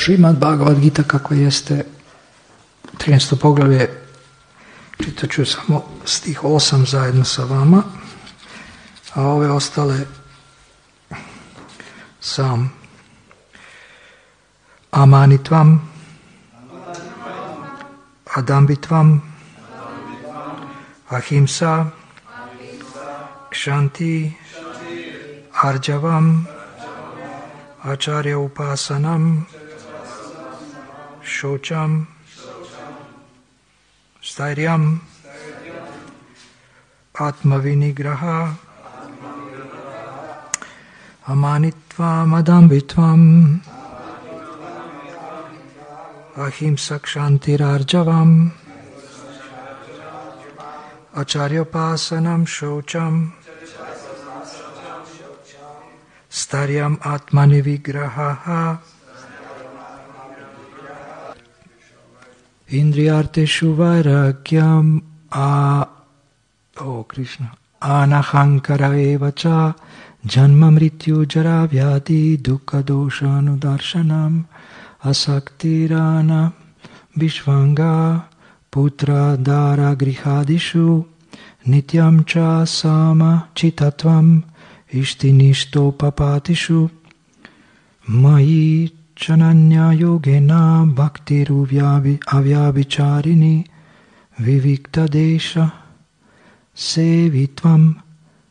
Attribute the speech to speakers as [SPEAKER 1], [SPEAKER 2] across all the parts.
[SPEAKER 1] Šrimad Bhagavad Gita kako jeste, 13. poglavlje, čitat ću samo stih 8 zajedno sa vama, a ove ostale sam. Amanitvam, Adambitvam, Ahimsa, Kshanti, Arjavam, Acharya Upasanam, Shocham, Stairyam, Atmavinigraha, Amanitvam, Adambitvam, Ahimsa, Kshanti, Arjavam, Acharyopasanam, Shocham, Staryam, Atmani Vigraha, Indriyarteshu Vairagyam, Krishna, Anahankara evacha, Janma Mrityu Jara Vyadi, Dukkha Dosha Anudarshanam, Asaktirana, Vishvanga, Putra Dara Grihadishu, Nityam Cha Sama Chitatvam, Ishtinishto Papatishu, Mai Chananya Yogena Bhaktiru Avyavicharini, Vivikta Desha, Sevitvam,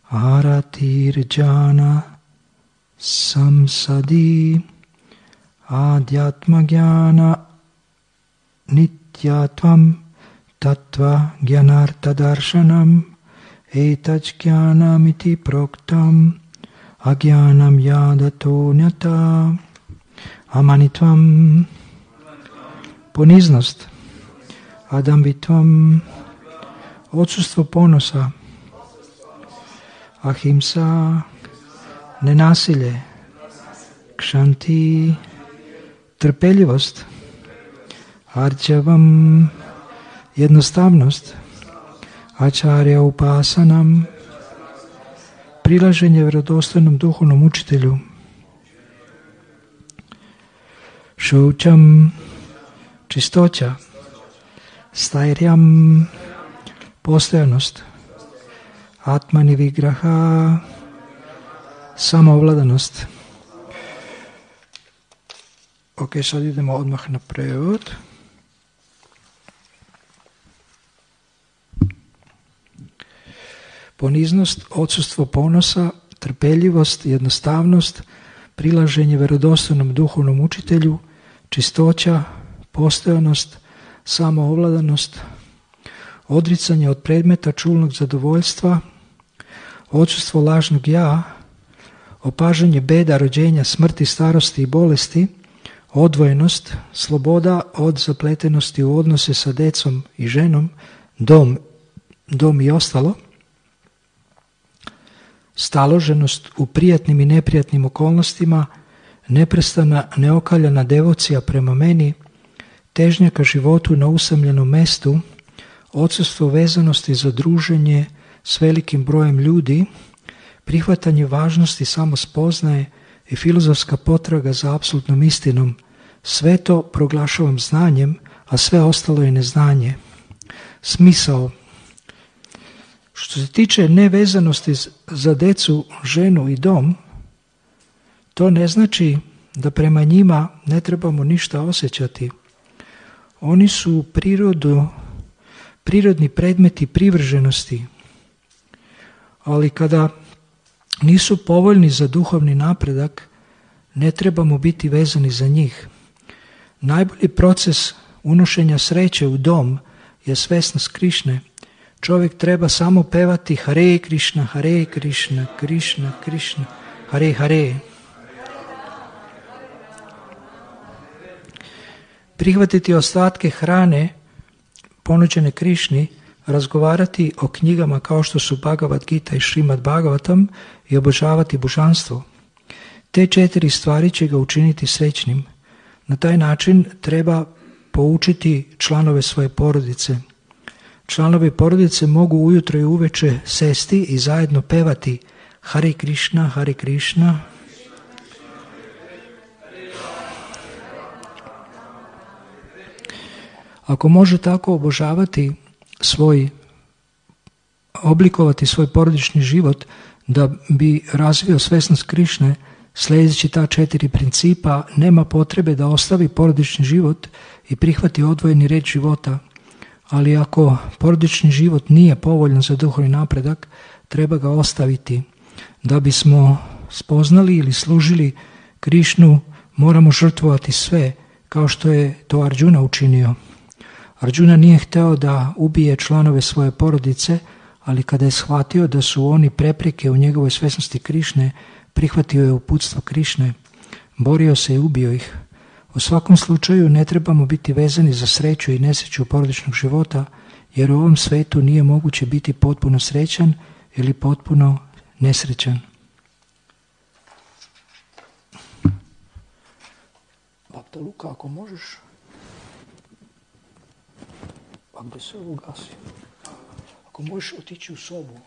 [SPEAKER 1] Aratir Jana, Samsadi, Adhyatma Jnana, Nityatvam, Tattva Jnanartha Darshanam, Etaj Jnanamiti Proktam, Ajnanam Yadato Nyata. Amanitvam, poniznost. Adambitvam, odsustvo ponosa. Ahimsa, nenasilje. Kshanti, trpeljivost. Arjavam, jednostavnost. Acharya upasanam, prilaženje vjerodostojnom duhovnom učitelju. Šoučam, čistoća. Stairyam, postojanost. Atmani vigraha, samoovladanost. Ok, sad idemo odmah na prevod. Poniznost, odsustvo ponosa, trpeljivost, jednostavnost, prilaženje vjerodostojnom duhovnom učitelju, čistoća, postojanost, samoovladanost, odricanje od predmeta čulnog zadovoljstva, odsustvo lažnog ja, opažanje beda, rođenja, smrti, starosti i bolesti, odvojenost, sloboda od zapletenosti u odnose sa decom i ženom, dom i ostalo, staloženost u prijatnim i neprijatnim okolnostima, neprestana neokaljana devocija prema meni, težnja ka životu na usamljenom mestu, odsustvo vezanosti za druženje s velikim brojem ljudi, prihvatanje važnosti samospoznaje i filozofska potraga za apsolutnom istinom, sve to proglašavam znanjem, a sve ostalo je neznanje. Smisao. Što se tiče nevezanosti za decu, ženu i dom, to ne znači da prema njima ne trebamo ništa osjećati. Oni su prirodni predmeti privrženosti, ali kada nisu povoljni za duhovni napredak, ne trebamo biti vezani za njih. Najbolji proces unošenja sreće u dom je svesnost Krišne. Čovjek treba samo pevati Hare Krišna, Hare Krišna, Krišna, Krišna, Hare Hare. Prihvatiti ostatke hrane ponuđene Krišni, razgovarati o knjigama kao što su Bhagavad Gita i Šrimad Bhagavatam i obožavati božanstvo. Te 4 stvari će ga učiniti srećnim. Na taj način treba poučiti članove svoje porodice. Članovi porodice mogu ujutro i uveče sesti i zajedno pevati Hare Krišna, Hare Krišna. Ako može tako oblikovati svoj porodični život da bi razvio svesnost Krišne, sljedeći ta 4 principa, nema potrebe da ostavi porodični život i prihvati odvojeni red života. Ali ako porodični život nije povoljan za duhovni napredak, treba ga ostaviti. Da bismo spoznali ili služili Krišnu, moramo žrtvovati sve, kao što je to Arjuna učinio. Arjuna nije hteo da ubije članove svoje porodice, ali kada je shvatio da su oni prepreke u njegovoj svesnosti Krišne, prihvatio je uputstvo Krišne, borio se i ubio ih. U svakom slučaju ne trebamo biti vezani za sreću i nesreću porodičnog života, jer u ovom svetu nije moguće biti potpuno srećan ili potpuno nesrećan. Bapta Luka, ako možeš. A gdje se ovo gasi? Ako možeš otići u sobu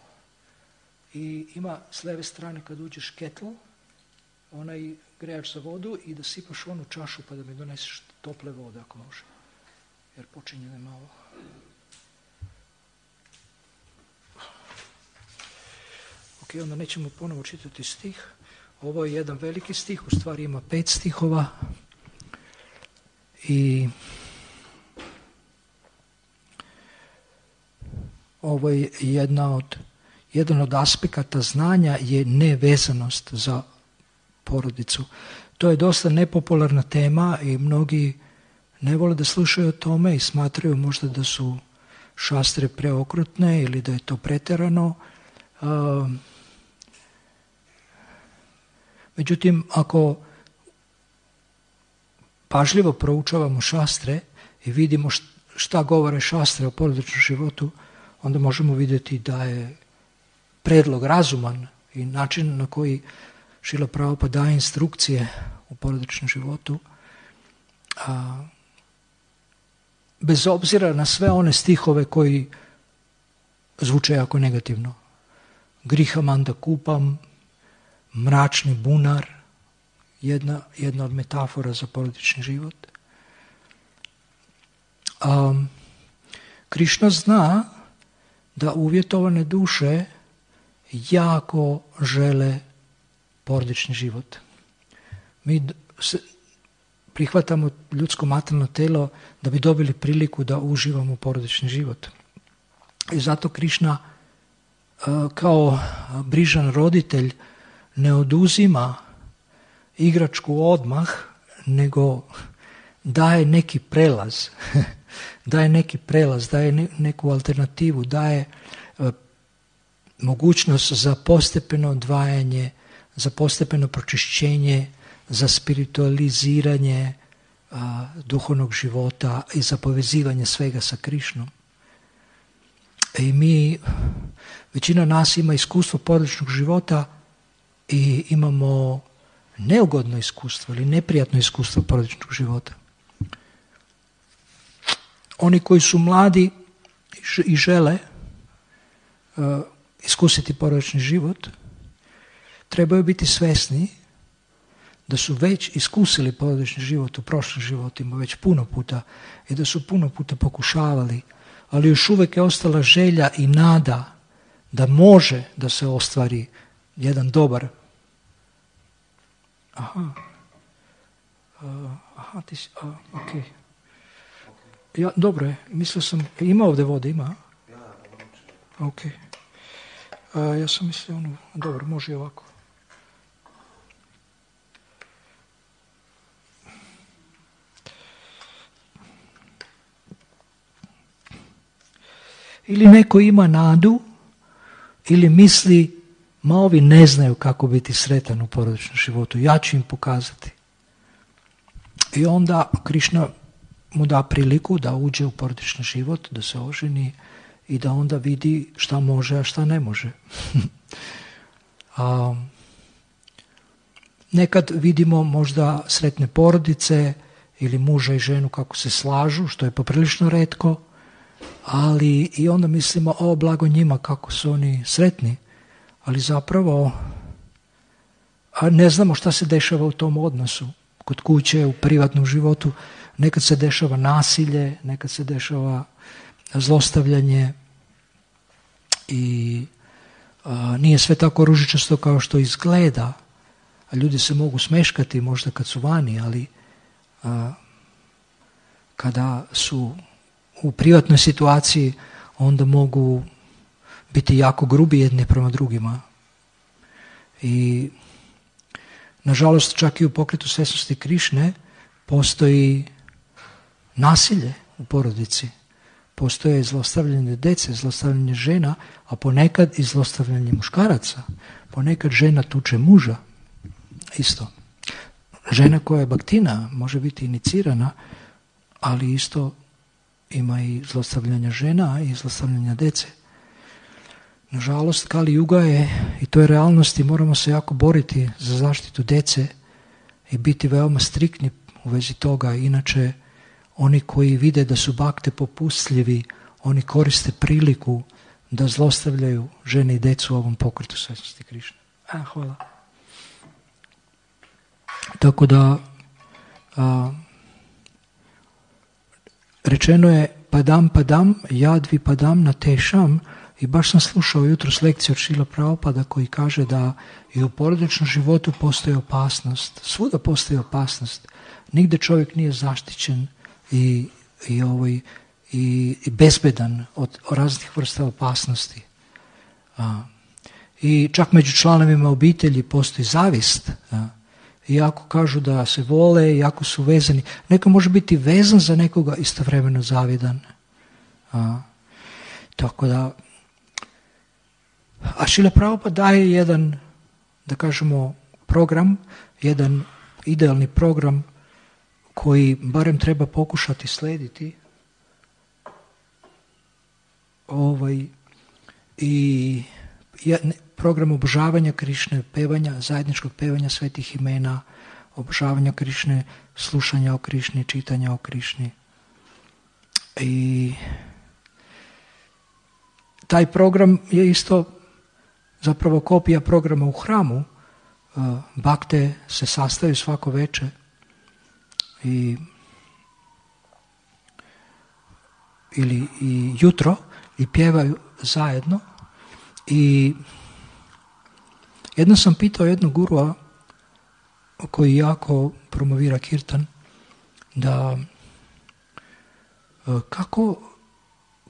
[SPEAKER 1] i ima s leve strane kad uđeš ketl, onaj grejač za vodu i da sipaš onu čašu pa da mi doneseš tople vode ako može. Jer počinje ne malo. Ok, onda nećemo ponovo čitati stih. Ovo je jedan veliki stih, u stvari ima 5 stihova. I ovo je jedan od aspekata znanja je nevezanost za porodicu. To je dosta nepopularna tema i mnogi ne vole da slušaju o tome i smatraju možda da su šastre preokrutne ili da je to pretjerano. Međutim, ako pažljivo proučavamo šastre i vidimo šta govore šastre o porodičnom životu, onda možemo vidjeti da je predlog razuman i način na koji Šrila Prabhupada daje instrukcije u porodičnom životu, bez obzira na sve one stihove koji zvuče jako negativno. Grihamanda kupam, mračni bunar, jedna od metafora za porodični život. Krišna zna da uvjetovane duše jako žele porodični život. Mi prihvatamo ljudsko materijalno telo da bi dobili priliku da uživamo porodični život. I zato Krišna kao brižan roditelj ne oduzima igračku odmah, nego daje neki prelaz. daje neku alternativu, daje mogućnost za postepeno odvajanje, za postepeno pročišćenje, za spiritualiziranje duhovnog života i za povezivanje svega sa Krišnom. I većina nas ima iskustvo porodičnog života i imamo neugodno iskustvo ili neprijatno iskustvo porodičnog života. Oni koji su mladi i žele iskusiti porodični život, trebaju biti svesni da su već iskusili porodični život u prošlim životima, već puno puta, i da su puno puta pokušavali, ali još uvijek je ostala želja i nada da može da se ostvari jedan dobar. Ti si, ok. Ja, dobro je, mislio sam, ima ovdje vode, ima? Ok. Ja sam mislio, dobro, može i ovako. Ili neko ima nadu, ili misli, ma ovi ne znaju kako biti sretan u porodičnom životu, ja ću im pokazati. I onda Krišna mu da priliku da uđe u porodični život, da se oženi i da onda vidi šta može, a šta ne može. Nekad vidimo možda sretne porodice ili muža i ženu kako se slažu, što je poprilično retko, ali i onda mislimo, blago njima kako su oni sretni, ali zapravo ne znamo šta se dešava u tom odnosu, kod kuće, u privatnom životu. nekad se dešava nasilje, nekad se dešava zlostavljanje i nije sve tako ružičasto kao što izgleda. A ljudi se mogu smeškati možda kad su vani, ali kada su u privatnoj situaciji onda mogu biti jako grubi jedni prema drugima. I nažalost čak i u pokretu svjesnosti Krišne postoji nasilje u porodici. Postoje zlostavljanje djece, zlostavljanje žena, a ponekad i zlostavljanje muškaraca. Ponekad žena tuče muža. Isto. Žena koja je baktina može biti inicirana, ali isto ima i zlostavljanja žena i zlostavljanja djece. Nažalost, Kali Juga je, i to je realnost, i moramo se jako boriti za zaštitu djece i biti veoma striktni u vezi toga. Inače, oni koji vide da su bakte popustljivi, oni koriste priliku da zlostavljaju žene i djecu u ovom pokretu svjesnosti Krišne. Hvala. Tako da, rečeno je padam, jadvi padam na tešam, i baš sam slušao jutros lekciju od Šrila Prabhupada koji kaže da i u porodičnom životu postoji opasnost. Svuda postoji opasnost. Nigde čovjek nije zaštićen i bezbedan od raznih vrsta opasnosti. I čak među članovima obitelji postoji zavist. Iako kažu da se vole, iako su vezani. Neko može biti vezan za nekoga, istovremeno zavidan. Tako da, a Šrila Prabhupada daje jedan, da kažemo, program, jedan idealni program koji barem treba pokušati slediti. I program obožavanja Krišne, pevanja, zajedničkog pevanja svetih imena, obožavanja Krišne, slušanja o Krišni, čitanja o Krišni. I taj program je isto zapravo kopija programa u hramu. Bakte se sastaju svako večer ili jutro i pjevaju zajedno. I jednom sam pitao jednog gurua koji jako promovira kirtan, da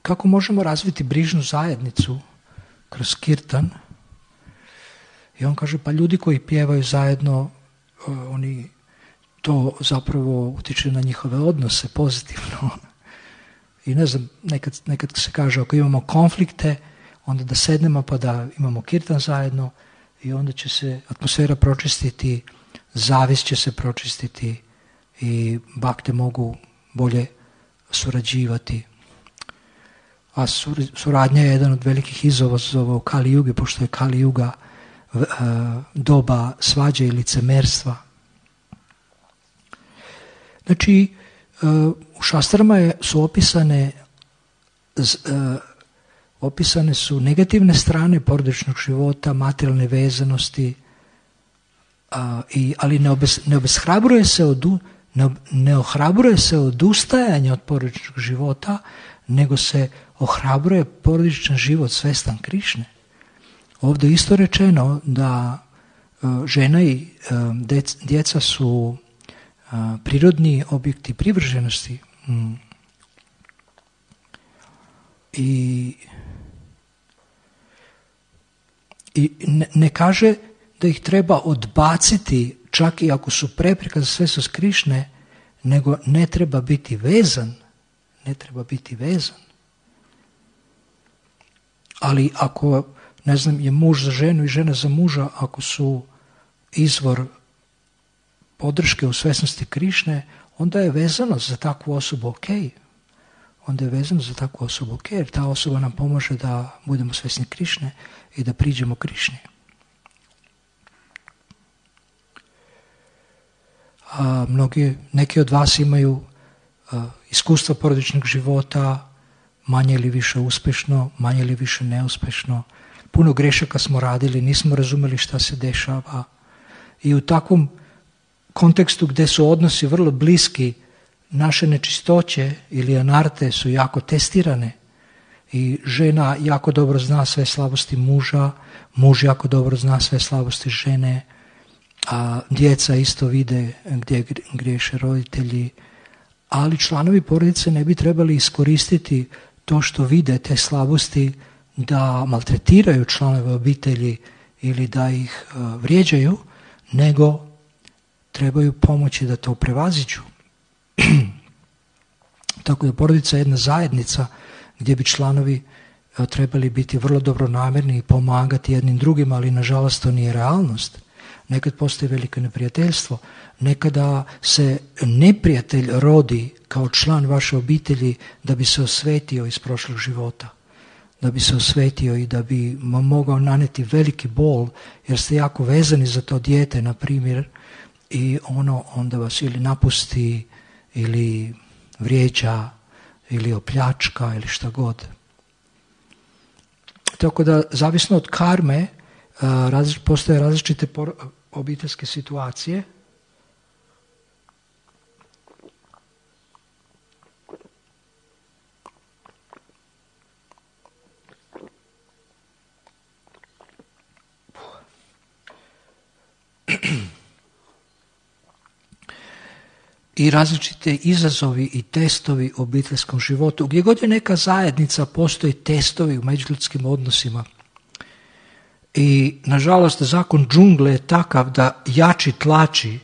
[SPEAKER 1] kako možemo razviti brižnu zajednicu kroz kirtan. I on kaže, pa ljudi koji pjevaju zajedno, oni to zapravo utječe na njihove odnose pozitivno. I ne znam, nekad se kaže, ako imamo konflikte, onda da sednemo pa da imamo kirtan zajedno i onda će se atmosfera pročistiti, zavist će se pročistiti i bakte mogu bolje surađivati. A suradnja je jedan od velikih izazova u Kali Jugi, pošto je Kali Juga doba svađe i licemerstva. Znači, u šastrama su opisane su negativne strane porodičnog života, materijalne vezanosti, ali ne ohrabruje se odustajanje od porodičnog života, nego se ohrabruje porodičan život svestan Krišne. Ovdje je isto rečeno da žena i djeca su prirodni objekti privrženosti. I ne kaže da ih treba odbaciti čak i ako su prepreka za svesnost Krišne, nego ne treba biti vezan. Ne treba biti vezan. Ali ako, ne znam, je muž za ženu i žena za muža, ako su izvor podrške u svesnosti Krišne, onda je vezano za takvu osobu ok. Onda je vezano za takvu osobu ok, jer ta osoba nam pomaže da budemo svesni Krišne i da priđemo Krišni. Neki od vas imaju iskustva porodičnog života, manje ili više uspješno, manje ili više neuspješno. Puno grešaka smo radili, nismo razumeli šta se dešava. I u takvom kontekstu gdje su odnosi vrlo bliski naše nečistoće ili anarte su jako testirane i žena jako dobro zna sve slabosti muža, muž jako dobro zna sve slabosti žene, a djeca isto vide gdje griješe roditelji, ali članovi porodice ne bi trebali iskoristiti to što vide te slabosti da maltretiraju članove obitelji ili da ih vrijeđaju, nego trebaju pomoći da to prevaziđu. Tako da porodica je jedna zajednica gdje bi članovi trebali biti vrlo dobronamjerni i pomagati jednim drugim, ali nažalost to nije realnost. Nekad postoji veliko neprijateljstvo, nekada se neprijatelj rodi kao član vaše obitelji da bi se osvetio iz prošlog života, da bi se osvetio i da bi mogao naneti veliki bol jer ste jako vezani za to dijete, na primjer, i ono onda vas ili napusti ili vrijeđa ili opljačka ili šta god. Tako da, zavisno od karme, postoje različite obiteljske situacije. I različite izazovi i testovi u obiteljskom životu. Gdje god je neka zajednica, postoji testovi u međuljudskim odnosima. I nažalost zakon džungle je takav da jači tlači.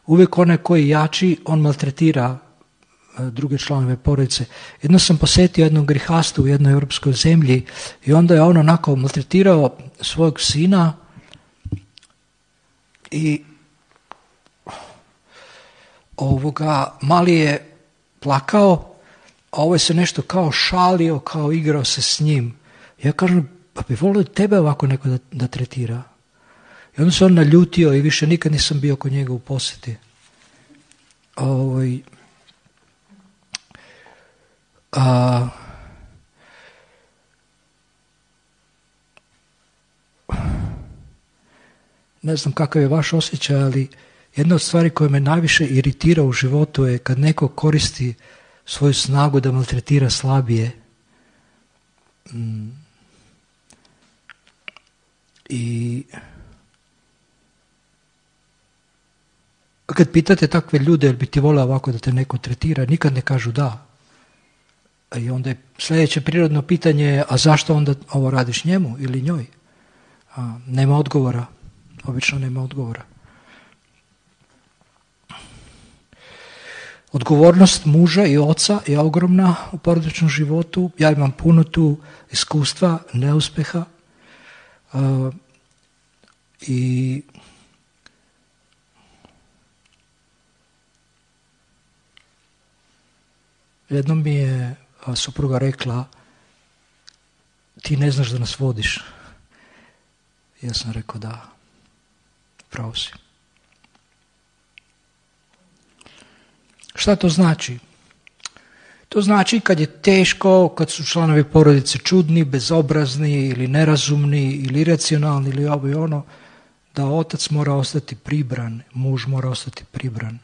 [SPEAKER 1] Uvijek onaj koji jači, on maltretira druge članove porodice. Jedno sam posjetio jednog grihastu u jednoj europskoj zemlji i onda je on onako maltretirao svojeg sina i mali je plakao, a ovo je se nešto kao šalio, kao igrao se s njim. Ja kažem, pa bi volio tebe ovako neko da tretira. I onda se on naljutio i više nikad nisam bio kod njega u posjeti. Ne znam kakav je vaš osjećaj, ali jedna od stvari koja me najviše iritira u životu je kad neko koristi svoju snagu da maltretira slabije. I kad pitate takve ljude, jel bi ti volio ovako da te neko tretira, nikad ne kažu da. I onda je sljedeće prirodno pitanje, a zašto onda ovo radiš njemu ili njoj? Nema odgovora. Obično nema odgovora. Odgovornost muža i oca je ogromna u porodičnom životu. Ja imam puno tu iskustva, neuspjeha. I jednom mi je supruga rekla, ti ne znaš da nas vodiš. Ja sam rekao da, pravo si. Šta to znači? To znači kad je teško, kad su članovi porodice čudni, bezobrazni ili nerazumni ili iracionalni ili ovo i ono, da otac mora ostati pribran, muž mora ostati pribran.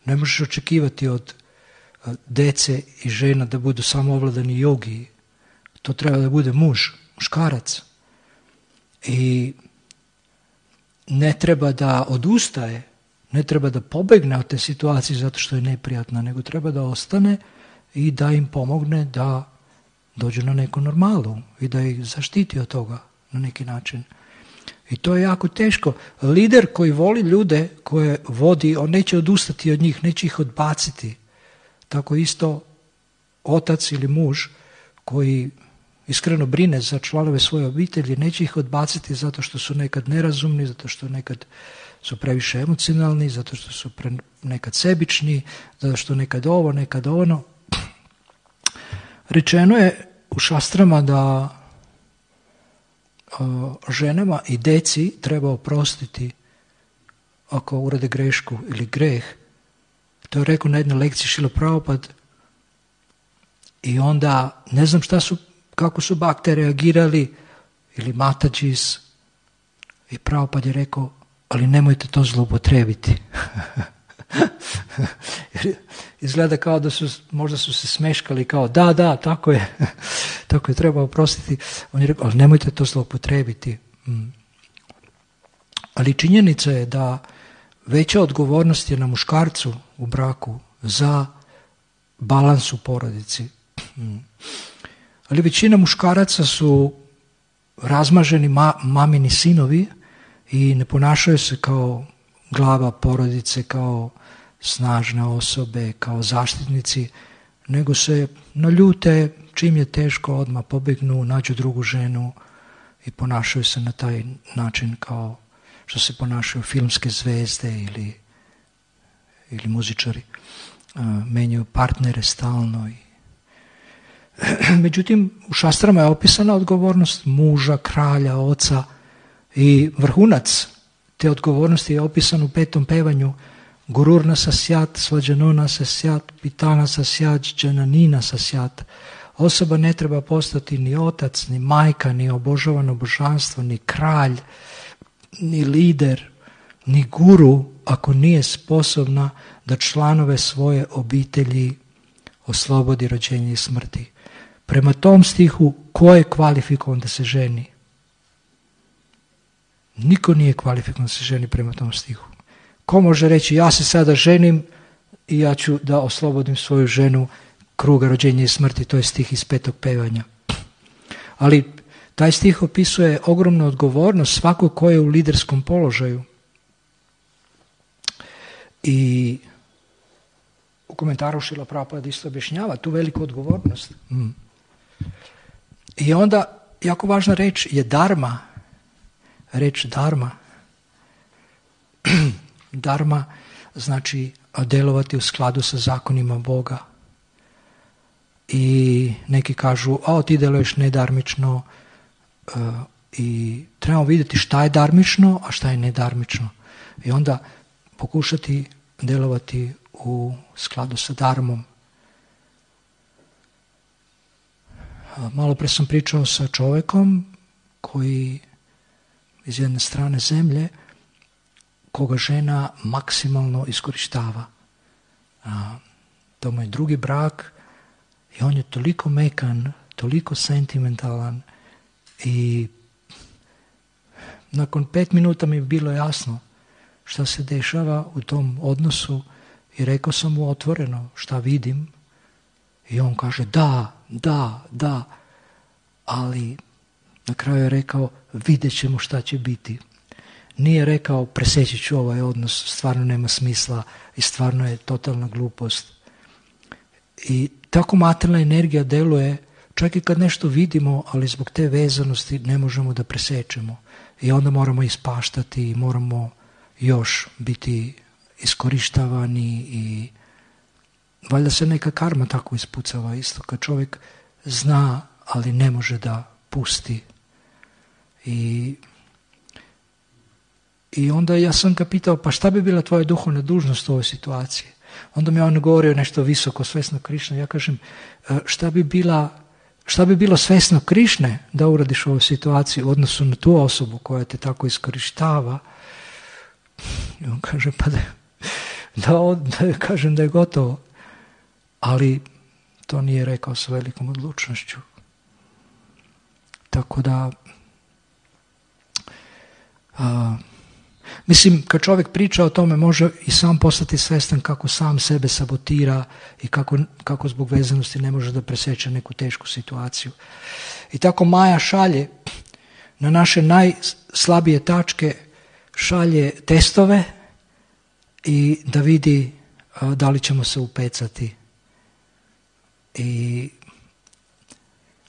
[SPEAKER 1] Ne možeš očekivati od dece i žena da budu samo ovladani jogi. To treba da bude muškarac. I ne treba da odustaje, ne treba da pobegne od te situacije zato što je neprijatna, nego treba da ostane i da im pomogne da dođu na neku normalu i da ih zaštiti od toga na neki način. I to je jako teško. Lider koji voli ljude koje vodi, on neće odustati od njih, neće ih odbaciti. Tako isto otac ili muž koji iskreno brine za članove svoje obitelji, neće ih odbaciti zato što su nekad nerazumni, zato što nekad su previše emocionalni, zato što su nekad sebični, zato što nekad ovo, nekad ono. Rečeno je u šastrama da ženama i deci treba oprostiti ako urade grešku ili greh. To je rekao na jednoj lekciji Šrila Prabhupada. I onda ne znam kako su bakte reagirali ili Matađis. I Prabhupada je rekao, ali nemojte to zloupotrebiti. izgleda kao da možda su se smeškali, kao da, tako je, tako je, treba oprostiti. On je rekao, ali nemojte to zloupotrebiti. Ali činjenica je da veća odgovornost je na muškarcu u braku za balans u porodici. Ali većina muškaraca su razmaženi mamini sinovi i ne ponašaju se kao glava porodice, kao snažne osobe, kao zaštitnici, nego se naljute, čim je teško odmah pobegnu, nađu drugu ženu i ponašaju se na taj način kao što se ponašaju filmske zvezde ili muzičari. Menjaju partnere stalno. Međutim, u šastrama je opisana odgovornost muža, kralja, oca i vrhunac te odgovornosti je opisan u 5. pevanju. Gururna sasjat, svađanona sasjat, pitana sasjat, džananina sasjat. Osoba ne treba postati ni otac, ni majka, ni obožavano božanstvo, ni kralj, ni lider, ni guru, ako nije sposobna da članove svoje obitelji oslobodi rođenja i smrti. Prema tom stihu, ko je kvalifikovan da se ženi? Niko nije kvalifikovan da se ženi prema tom stihu. Ko može reći, ja se sada ženim i ja ću da oslobodim svoju ženu kruga rođenja i smrti, to je stih iz 5. pevanja. Ali taj stih opisuje ogromnu odgovornost svakog ko je u liderskom položaju. I u komentaru Šrila Prabhupada isto objašnjava tu veliku odgovornost. I onda, jako važna reč je dharma. Reč dharma. Dharma znači djelovati u skladu sa zakonima Boga. I neki kažu, ti djeluješ nedarmično, i trebamo vidjeti šta je darmično, a šta je nedarmično. I onda pokušati djelovati u skladu sa dharmom. Malo pre sam pričao sa čovjekom koji iz jedne strane zemlje, koga žena maksimalno iskorištava. To mu je drugi brak i on je toliko mekan, toliko sentimentalan i nakon 5 minuta mi je bilo jasno šta se dešava u tom odnosu i rekao sam mu otvoreno šta vidim i on kaže da, ali na kraju je rekao vidjet ćemo šta će biti. Nije rekao preseći ću ovaj odnos, stvarno nema smisla i stvarno je totalna glupost. I tako materijalna energija deluje čak i kad nešto vidimo, ali zbog te vezanosti ne možemo da presečemo. I onda moramo ispaštati i moramo još biti iskorištavani i valjda se neka karma tako ispucava isto. Kad čovjek zna, ali ne može da pusti. I onda ja sam ga pitao, pa šta bi bila tvoja duhovna dužnost u ovoj situaciji? Onda mi on govorio nešto visoko, svesno Krišne. Ja kažem, šta bi bilo svesno Krišne da uradiš u ovoj situaciji u odnosu na tu osobu koja te tako iskorištava? I on kaže, pa da kažem da je gotovo. Ali to nije rekao s velikom odlučnošću. Tako da, mislim, kad čovjek priča o tome, može i sam postati svjestan kako sam sebe sabotira i kako zbog vezanosti ne može da preseče neku tešku situaciju. I tako Maja šalje na naše najslabije tačke, šalje testove i da vidi da li ćemo se upecati. I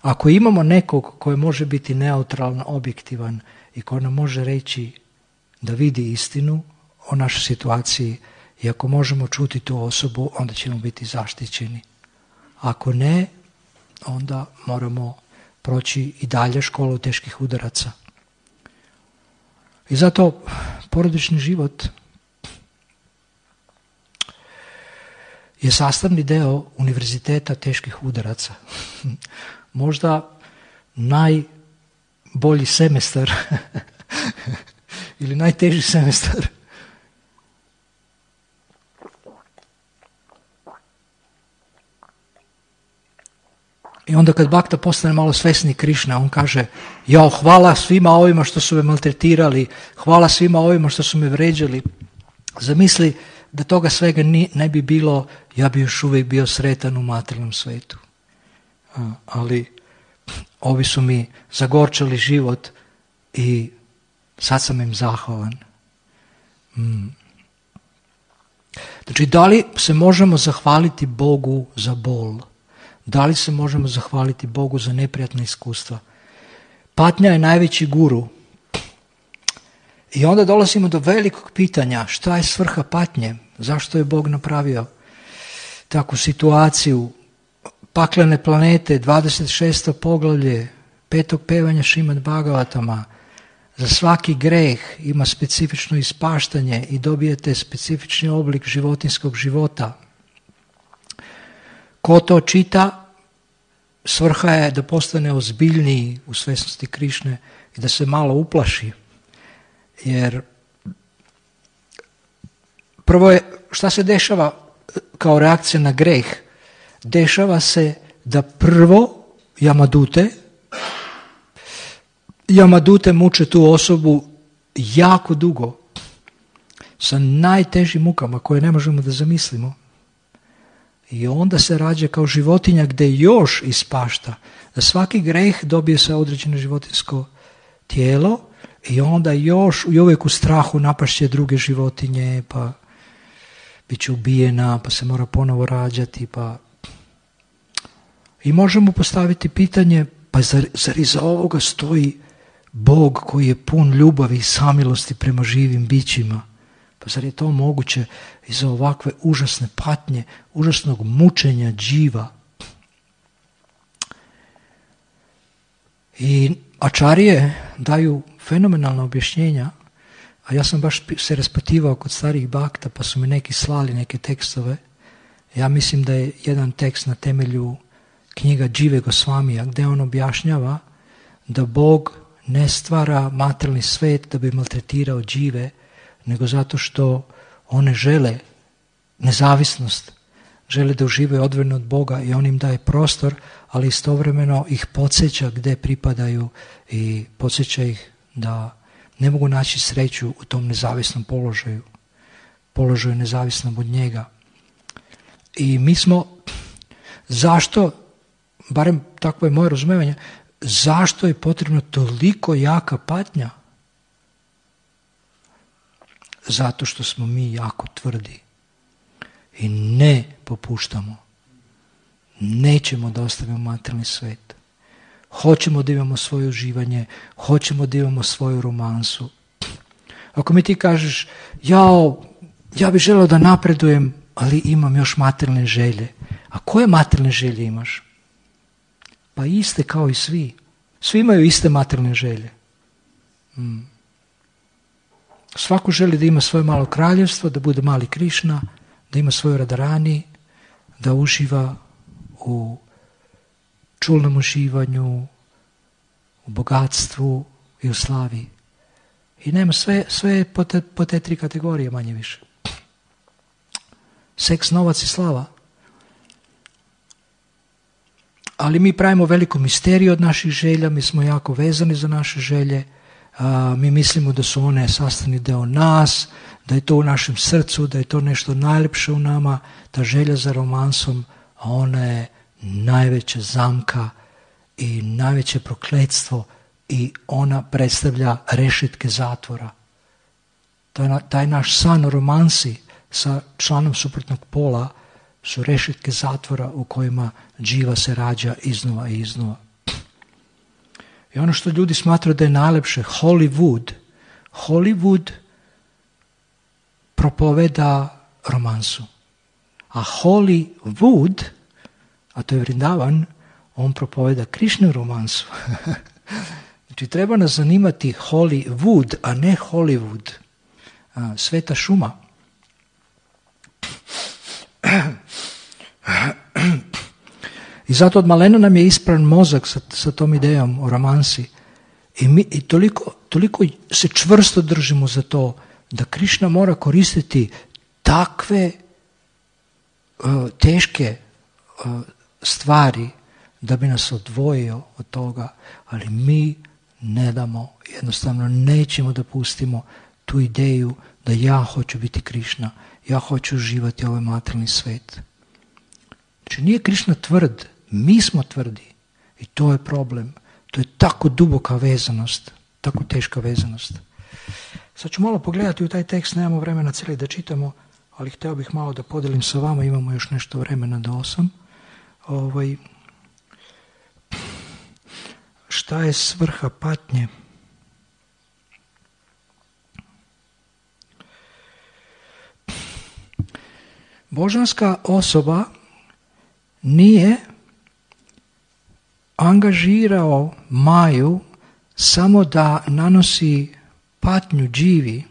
[SPEAKER 1] ako imamo nekog koji može biti neutralan, objektivan i koji nam može reći da vidi istinu o našoj situaciji i ako možemo čuti tu osobu, onda ćemo biti zaštićeni. Ako ne, onda moramo proći i dalje školu teških udaraca. I zato porodični život je sastavni deo univerziteta teških udaraca. Možda najbolji semestar ili najteži semestar. I onda kad Bhakta postane malo svesni Krišna, on kaže, jao, hvala svima ovima što su me maltretirali, hvala svima ovima što su me vređali. Zamisli da toga svega ne bi bilo, ja bi još uvijek bio sretan u materijalnom svetu. Ali ovi su mi zagorčali život i sad sam im zahvalan. Znači, da li se možemo zahvaliti Bogu za bol? Da li se možemo zahvaliti Bogu za neprijatna iskustva? Patnja je najveći guru. I onda dolazimo do velikog pitanja, šta je svrha patnje? Zašto je Bog napravio takvu situaciju? Paklene planete, 26. poglavlje, 5. pevanja Šrimad Bhagavatama. Za svaki greh ima specifično ispaštanje i dobijete specifični oblik životinskog života. Ko to čita, svrha je da postane ozbiljniji u svjesnosti Krišne i da se malo uplaši. Jer prvo je, šta se dešava kao reakcija na greh? Dešava se da prvo Jamadute muče tu osobu jako dugo, sa najtežim mukama koje ne možemo da zamislimo. I onda se rađa kao životinja gdje još ispašta. Da svaki greh dobije se određeno životinsko tijelo i onda još i uvijek u strahu napašće druge životinje, pa bit će ubijena, pa se mora ponovo rađati. I možemo postaviti pitanje, pa zar iza ovoga stoji Bog koji je pun ljubavi i samilosti prema živim bićima? Pa zar je to moguće iza ovakve užasne patnje, užasnog mučenja dživa? I ačarije daju fenomenalna objašnjenja, a ja sam baš se raspativao kod starih bakta, pa su mi neki slali neke tekstove. Ja mislim da je jedan tekst na temelju knjiga Džive Gosvamija, gdje on objašnjava da Bog ne stvara materijalni svet da bi maltretirao džive, nego zato što one žele nezavisnost, žele da uživaju odvojeno od Boga i on im daje prostor, ali istovremeno ih podsjeća gdje pripadaju i podsjeća ih da ne mogu naći sreću u tom nezavisnom položaju nezavisnom od njega. I mi smo, zašto, barem takvo je moje razumijevanje, zašto je potrebno toliko jaka patnja? Zato što smo mi jako tvrdi i ne popuštamo. Nećemo da ostavimo materijalni svet. Hoćemo da imamo svoje uživanje, hoćemo da imamo svoju romansu. Ako mi ti kažeš, ja bih želeo da napredujem, ali imam još materijalne želje. A koje materijalne želje imaš? Pa iste kao i svi. Svi imaju iste materijalne želje. Svako želi da ima svoje malo kraljevstvo, da bude mali Krišna, da ima svoju Radharani, da uživa u čulnom uživanju, u bogatstvu i u slavi. I nema sve po te tri kategorije manje više. Seks, novac i slava. Ali mi pravimo veliku misteriju od naših želja, mi smo jako vezani za naše želje, mi mislimo da su one sastavni deo nas, da je to u našem srcu, da je to nešto najljepše u nama, ta želja za romansom, a ona je najveća zamka i najveće prokletstvo i ona predstavlja rešetke zatvora. Taj naš san o romansi sa članom suprotnog pola su rešetke zatvora u kojima dživa se rađa iznova i iznova. I ono što ljudi smatraju da je najlepše, Hollywood propoveda romansu. A Hollywood, a to je Vrindavan, on propoveda Krišnu romansu. Znači treba nas zanimati Hollywood, a ne Hollywood. Sveta šuma. I zato od malena nam je ispran mozak sa tom idejom o romansi. I toliko se čvrsto držimo za to da Krišna mora koristiti takve teške stvari da bi nas odvojio od toga, ali mi ne damo, jednostavno nećemo da pustimo tu ideju da ja hoću biti Krišna, ja hoću uživati ovaj materijalni svet. Znači nije Krišna tvrd, mi smo tvrdi i to je problem. To je tako duboka vezanost, tako teška vezanost. Sad ću malo pogledati u taj tekst, nemamo vremena cijeli da čitamo, ali htio bih malo da podelim sa vama, imamo još nešto vremena do 8. Šta je svrha patnje? Božanska osoba nije angažirao Maju samo da nanosi patnju dživi.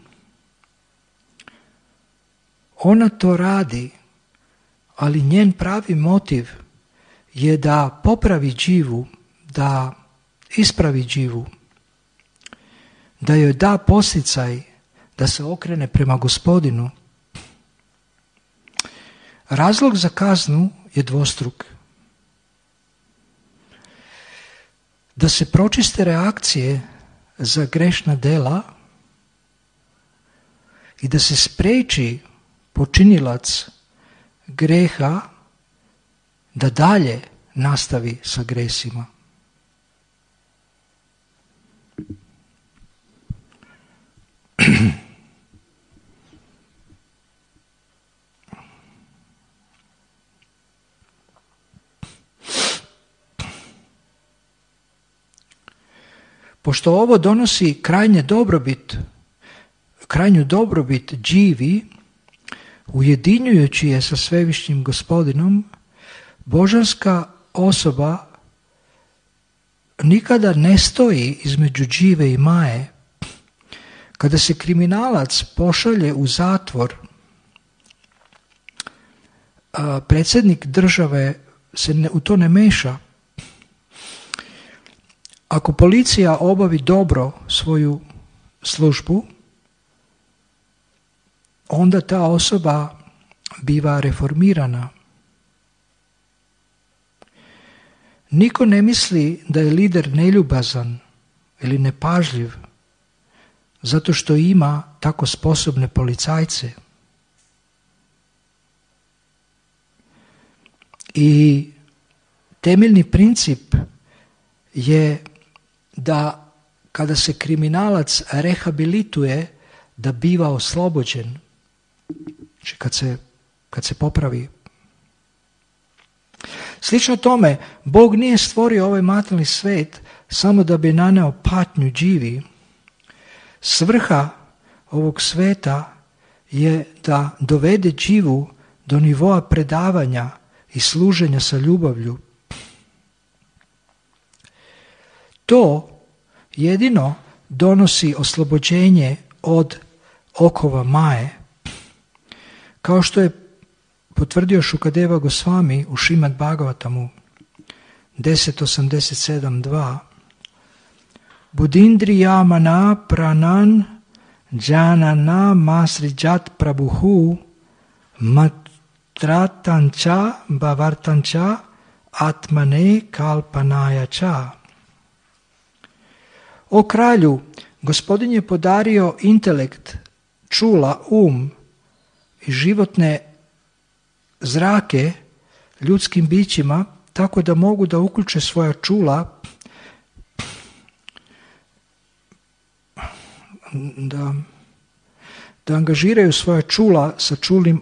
[SPEAKER 1] Ona to radi, ali njen pravi motiv je da popravi dživu, da ispravi dživu, da joj da posticaj da se okrene prema Gospodinu. Razlog za kaznu je dvostruk. Da se pročiste reakcije za grešna dela i da se spreči počinilac greha da dalje nastavi sa gresima. Pošto ovo donosi krajnju dobrobit dživi, ujedinjujući je sa svevišnjim Gospodinom, božanska osoba nikada ne stoji između džive i Maje. Kada se kriminalac pošalje u zatvor, predsjednik države se u to ne meša. Ako policija obavi dobro svoju službu, onda ta osoba biva reformirana. Niko ne misli da je lider neljubazan ili nepažljiv zato što ima tako sposobne policajce. I temeljni princip je da kada se kriminalac rehabilituje, da biva oslobođen. Znači kad se popravi. Slično tome, Bog nije stvorio ovaj materijalni svet samo da bi naneo patnju dživi. Svrha ovog sveta je da dovede dživu do nivoa predavanja i služenja sa ljubavlju. To jedino donosi oslobođenje od okova Maje. Kao što je potvrdio Šukadeva Gosvami u Šrimad Bhagavatamu 10.87.2. Budindriyamana pranan janana masrijat prabhuhu matratancha bhavartancha atmane kalpanayacha. O kralju, Gospodin je podario intelekt, čula, i životne zrake ljudskim bićima tako da mogu da uključe svoja čula, da angažiraju svoja čula sa čulnim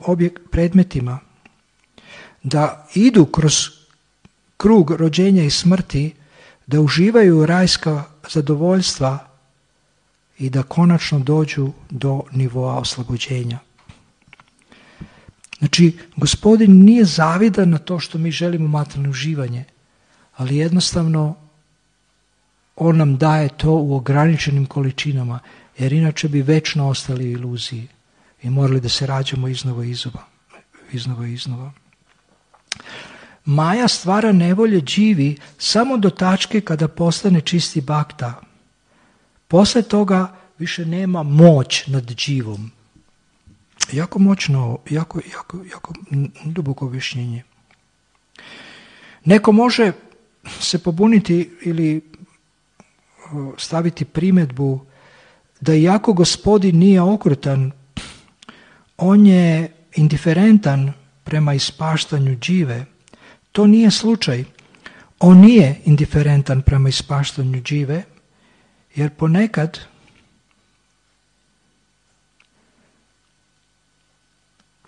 [SPEAKER 1] predmetima, da idu kroz krug rođenja i smrti, da uživaju rajska zadovoljstva i da konačno dođu do nivoa oslobođenja. Znači, Gospodin nije zavidan na to što mi želimo materijalno uživanje, ali jednostavno On nam daje to u ograničenim količinama, jer inače bi večno ostali u iluziji i morali da se rađamo iznova i iznova. Maja stvara nevolje dživi samo do tačke kada postane čisti bakta. Posle toga više nema moć nad dživom. Jako moćno, jako duboko objašnjenje. Neko može se pobuniti ili staviti primjedbu da iako Gospodin nije okrutan, on je indiferentan prema ispaštanju džive. To nije slučaj. On nije indiferentan prema ispaštanju džive, jer ponekad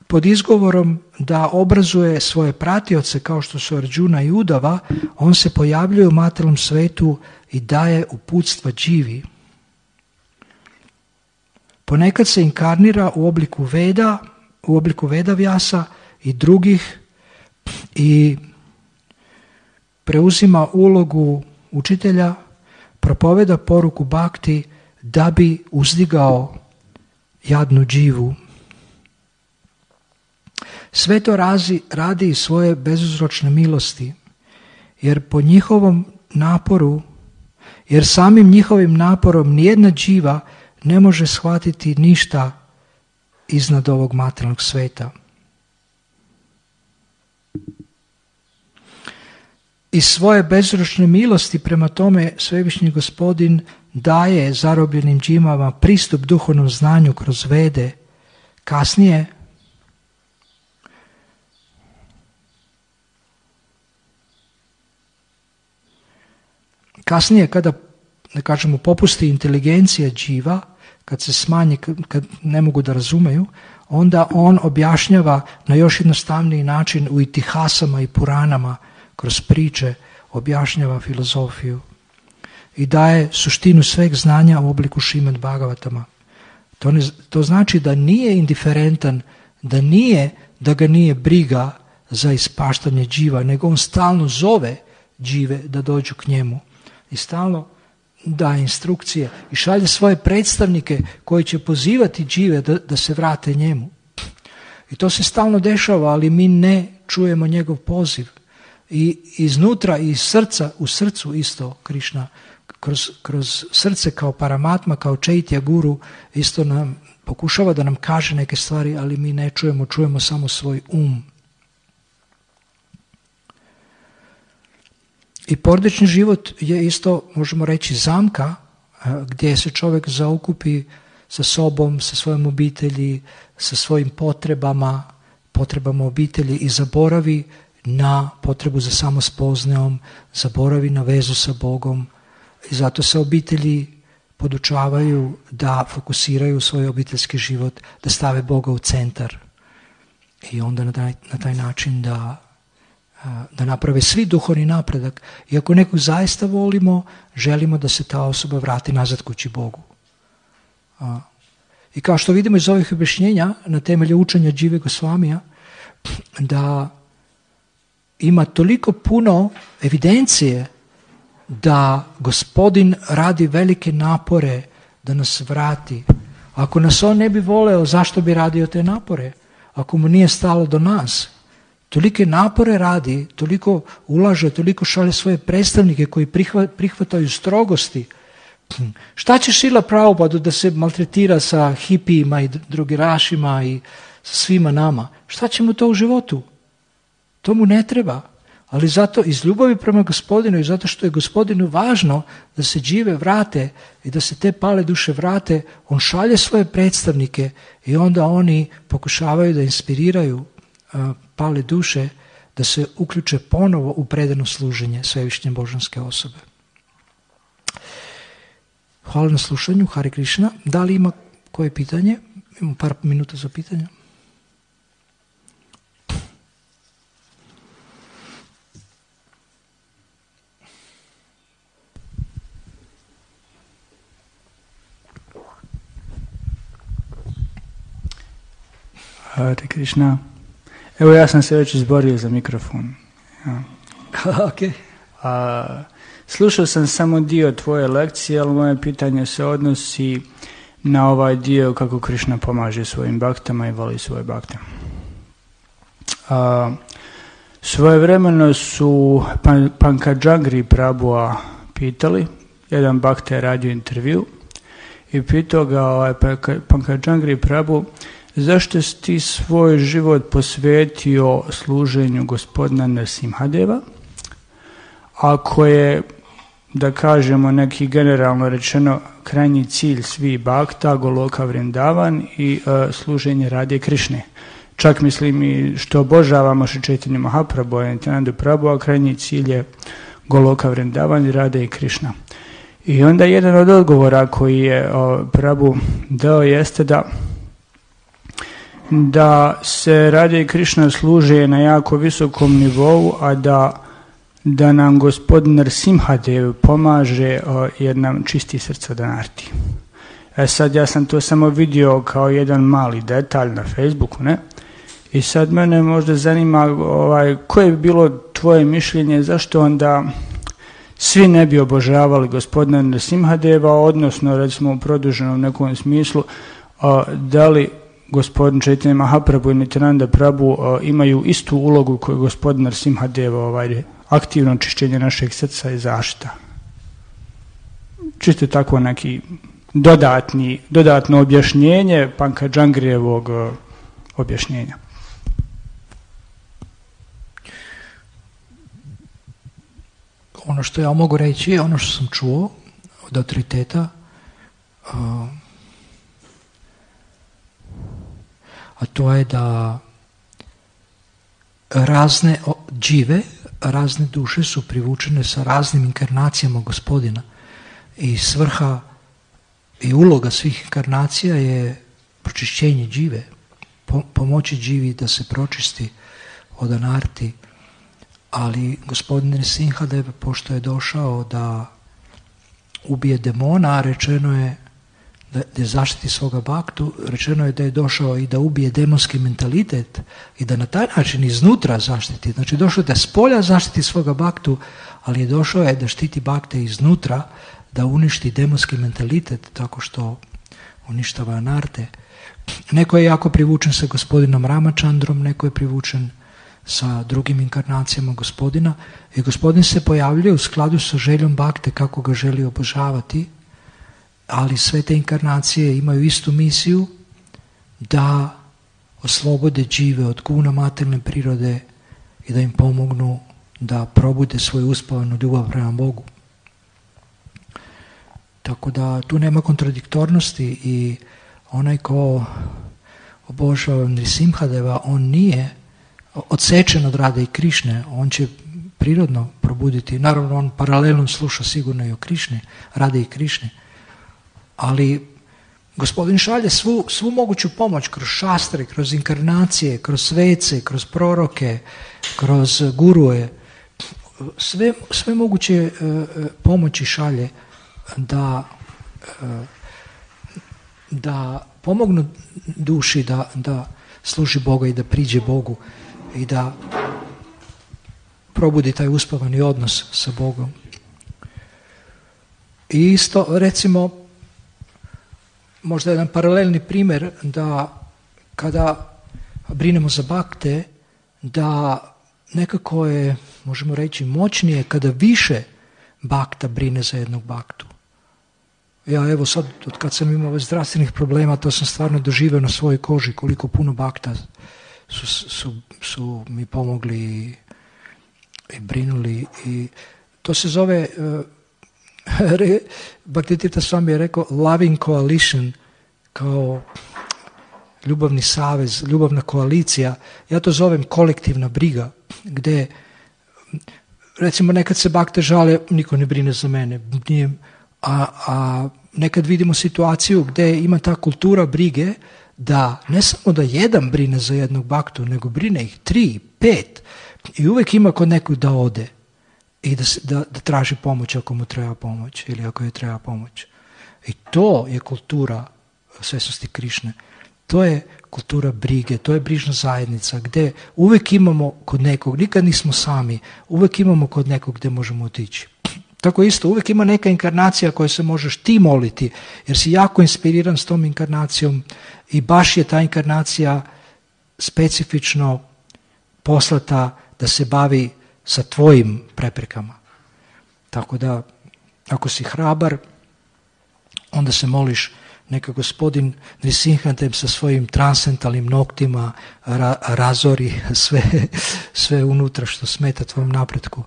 [SPEAKER 1] pod izgovorom da obrazuje svoje pratioce kao što su Arđuna i Udava, on se pojavljuje u materijalnom svetu i daje uputstva dživi. Ponekad se inkarnira u obliku Vedavyasa i drugih i preuzima ulogu učitelja, propoveda poruku bhakti da bi uzdigao jadnu dživu. Sve to radi iz svoje bezuzročne milosti, jer po njihovom naporu, jer samim njihovim naporom nijedna dživa ne može shvatiti ništa iznad ovog materijalnog sveta. Iz svoje bezuzročne milosti prema tome Svevišnji Gospodin daje zarobljenim dživama pristup duhovnom znanju kroz Vede. Kasnije kada, da kažemo, popusti inteligencija dživa, kad se smanji, kad ne mogu da razumeju, onda on objašnjava na još jednostavniji način u itihasama i puranama, kroz priče objašnjava filozofiju i daje suštinu sveg znanja u obliku Šrimad Bhagavatama. To znači da nije indiferentan, da ga nije briga za ispaštanje dživa, nego on stalno zove džive da dođu k njemu i stalno daje instrukcije i šalje svoje predstavnike koji će pozivati džive da se vrate njemu. I to se stalno dešava, ali mi ne čujemo njegov poziv. I iznutra i iz srca, u srcu isto Krišna, kroz srce kao Paramatma, kao Čaitya Guru, isto nam pokušava da nam kaže neke stvari, ali mi ne čujemo samo svoj um. I porodični život je isto, možemo reći, zamka gdje se čovjek zaokupi sa sobom, sa svojom obitelji, sa svojim potrebama obitelji i zaboravi na potrebu za samospoznajom, zaboravi na vezu sa Bogom i zato se obitelji podučavaju da fokusiraju svoj obiteljski život, da stave Boga u centar i onda na taj način da naprave svi duhovni napredak. I ako nekog zaista volimo, želimo da se ta osoba vrati nazad kući Bogu. I kao što vidimo iz ovih objašnjenja na temelju učenja Džive Gosvamija, da ima toliko puno evidencije da Gospodin radi velike napore da nas vrati. Ako nas on ne bi voleo, zašto bi radio te napore? Ako mu nije stalo do nas. Tolike napore radi, toliko ulaže, toliko šalje svoje predstavnike koji prihvataju strogosti. Šta će Šrila Prabhupada da se maltretira sa hipijima i drugirašima i sa svima nama? Šta će mu to u životu? To mu ne treba. Ali zato iz ljubavi prema Gospodinu i zato što je Gospodinu važno da se džive vrate i da se te pale duše vrate, on šalje svoje predstavnike i onda oni pokušavaju da inspiriraju pale duše da se uključe ponovo u predano služenje Svevišnje božanske osobe. Hvala na slušanju, Hare Krishna. Da li ima koje pitanje? Imamo par minuta za pitanja.
[SPEAKER 2] Hare Krishna. Evo ja sam se već izborio za mikrofon. Ja.
[SPEAKER 1] Okay.
[SPEAKER 2] Slušao sam samo dio tvoje lekcije, ali moje pitanje se odnosi na ovaj dio kako Krišna pomaže svojim baktama i voli svoje bakte. Svojevremeno su Pankajangri Prabhuja pitali, jedan bakta je radio intervju i pitao ga Pankajangri Prabhu, zašto si ti svoj život posvetio služenju gospodina Nrsimhadeva, ako je, da kažemo, neki generalno rečeno krajnji cilj svih bhakta, Goloka Vrindavan i služenje Radhe Krišne. Čak mislim i što obožavamo Šri Chaitanya Mahaprabhu i Nityananda Prabhu, a krajnji cilj je Goloka Vrindavan i Radhe Krišna. I onda jedan od odgovora koji je Prabhu dao jeste da se Radhe Krišna služe na jako visokom nivou, a da nam gospodin Nrsimhadev pomaže jer nam čisti srca Danarti. Sad ja sam to samo vidio kao jedan mali detalj na Facebooku, ne? I sad mene možda zanima koje bi bilo tvoje mišljenje, zašto onda svi ne bi obožavali gospodina Nrsimhadeva, odnosno recimo u produženom nekom smislu, da li gospodin Chaitanya Mahaprabhu i Nityananda Prabhu imaju istu ulogu koju gospodin Nrsimhadev, aktivno čišćenje našeg srca i zaštita. Čisto tako neki dodatno objašnjenje Pankajangrijevog objašnjenja.
[SPEAKER 1] Ono što ja mogu reći je ono što sam čuo od autoriteta, a to je da razne džive, razne duše su privučene sa raznim inkarnacijama gospodina i svrha i uloga svih inkarnacija je pročišćenje džive, pomoći dživi da se pročisti od anarti. Ali gospodin Nrsimhadev, pošto je došao da ubije demona, rečeno je da zaštiti svoga bhaktu, rečeno je da je došao i da ubije demonski mentalitet i da na taj način iznutra zaštiti. Znači došao je da spolja zaštiti svoga bhaktu, ali je došao je da štiti bhakte iznutra, da uništi demonski mentalitet tako što uništava anarte. Neko je jako privučen sa gospodinom Ramachandrom, neko je privučen sa drugim inkarnacijama gospodina i gospodin se pojavljuje u skladu sa željom bhakte kako ga želi obožavati, ali sve te inkarnacije imaju istu misiju da oslobode džive od guna materijalne prirode i da im pomognu da probude svoju uspavanu ljubav prema Bogu. Tako da tu nema kontradiktornosti i onaj ko obožava Nrsimhadeva, on nije odsečen od Radhe i Krišne, on će prirodno probuditi, naravno on paralelno sluša sigurno i o Krišni, Radhe i Krišni, ali gospodin šalje svu moguću pomoć kroz šastre, kroz inkarnacije, kroz svece, kroz proroke, kroz guruje, sve moguće pomoći šalje da pomognu duši da služi Boga i da priđe Bogu i da probudi taj uspavani odnos sa Bogom. I isto, recimo, možda jedan paralelni primjer da kada brinemo za bhakte, da nekako je, možemo reći, moćnije kada više bhakta brine za jednog bhaktu. Ja evo sad, od kad sam imao zdravstvenih problema, to sam stvarno doživio na svojoj koži, koliko puno bhakta su mi pomogli i brinuli. I to se zove, Bhaktivedanta Swami je rekao, loving coalition, kao ljubavni savez, ljubavna koalicija. Ja to zovem kolektivna briga, gdje recimo nekad se bhakte žale, niko ne brine za mene, a nekad vidimo situaciju gdje ima ta kultura brige da ne samo da jedan brine za jednog bhaktu, nego brine ih 3, 5 i uvijek ima kod nekog da ode i da traži pomoć ako mu treba pomoć ili ako je treba pomoć. I to je kultura svjesnosti Krišne. To je kultura brige, to je brižna zajednica gdje uvijek imamo kod nekog, nikad nismo sami, uvijek imamo kod nekog gdje možemo otići. Tako isto, uvijek ima neka inkarnacija koju se možeš ti moliti, jer si jako inspiriran s tom inkarnacijom i baš je ta inkarnacija specifično poslata da se bavi sa tvojim preprekama. Tako da, ako si hrabar, onda se moliš neka gospodin Nrsimhadev sa svojim transcendentalnim noktima razori sve unutra što smeta tvom napretku.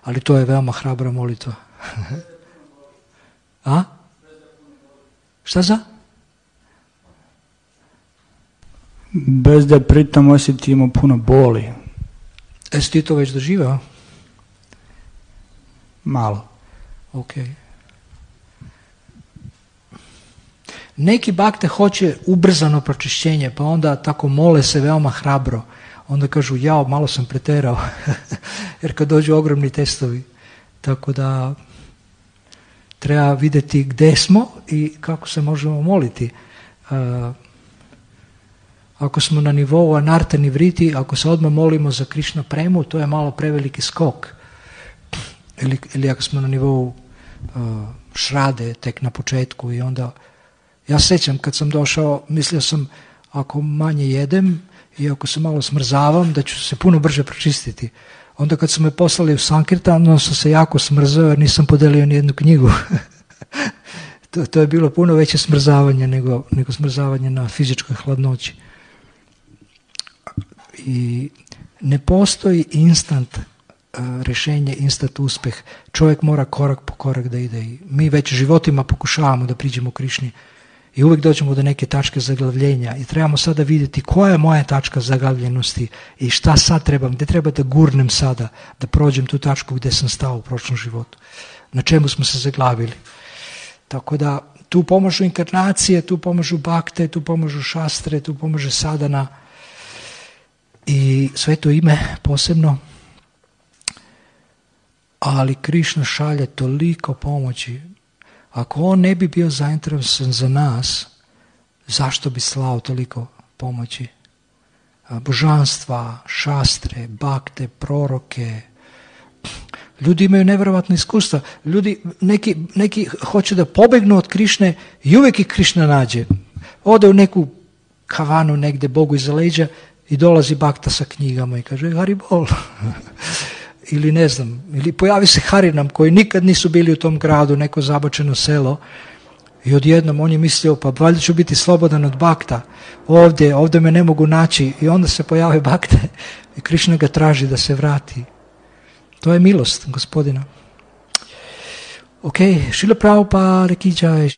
[SPEAKER 1] Ali to je veoma hrabra molitva. A? Šta za?
[SPEAKER 2] Bez da pritom osjetimo puno boli.
[SPEAKER 1] Jesi ti to već doživao?
[SPEAKER 2] Malo.
[SPEAKER 1] Ok. Neki bakte hoće ubrzano pročišćenje, pa onda tako mole se veoma hrabro. Onda kažu, jao, malo sam preterao. Jer kad dođu ogromni testovi. Tako da treba vidjeti gdje smo i kako se možemo moliti. Ako smo na nivou anarta nivriti, ako se odmah molimo za Krišna premu, to je malo preveliki skok. Ili ako smo na nivou šrade tek na početku i onda... Ja sjećam kad sam došao, mislio sam ako manje jedem i ako se malo smrzavam da ću se puno brže pročistiti. Onda kad su me poslali u Sankirtan, onda sam se jako smrzao jer nisam podelio ni jednu knjigu. To je bilo puno veće smrzavanje nego smrzavanje na fizičkoj hladnoći. I ne postoji instant rješenje, instant uspjeh. Čovjek mora korak po korak da ide. I mi već životima pokušavamo da priđemo Krišni i uvijek dođemo do neke tačke zaglavljenja i trebamo sada vidjeti koja je moja tačka zaglavljenosti i šta sad trebam, gdje treba da gurnem sada, da prođem tu tačku gdje sam stao u prošlom životu. Na čemu smo se zaglavili. Tako da tu pomažu inkarnacije, tu pomažu bakte, tu pomažu šastre, tu pomaže sadana i sveto ime posebno. Ali Krišna šalje toliko pomoći. Ako on ne bi bio zainteresovan za nas, zašto bi slao toliko pomoći? Božanstva, šastre, bakte, proroke. Ljudi imaju nevjerovatno iskustva. Ljudi, neki hoće da pobegnu od Krišne i uvijek ih Krišna nađe. Ode u neku kavanu negdje Bogu iza leđa i dolazi bakta sa knjigama i kaže Haribol. Ili ne znam, ili pojavi se Harinam koji nikad nisu bili u tom gradu, neko zabačeno selo i odjednom on je mislio pa valjda ću biti slobodan od bakta, ovdje me ne mogu naći i onda se pojave bakte i Krišna ga traži da se vrati. To je milost Gospodina. Ok, Šrila Prabhupada ki jai.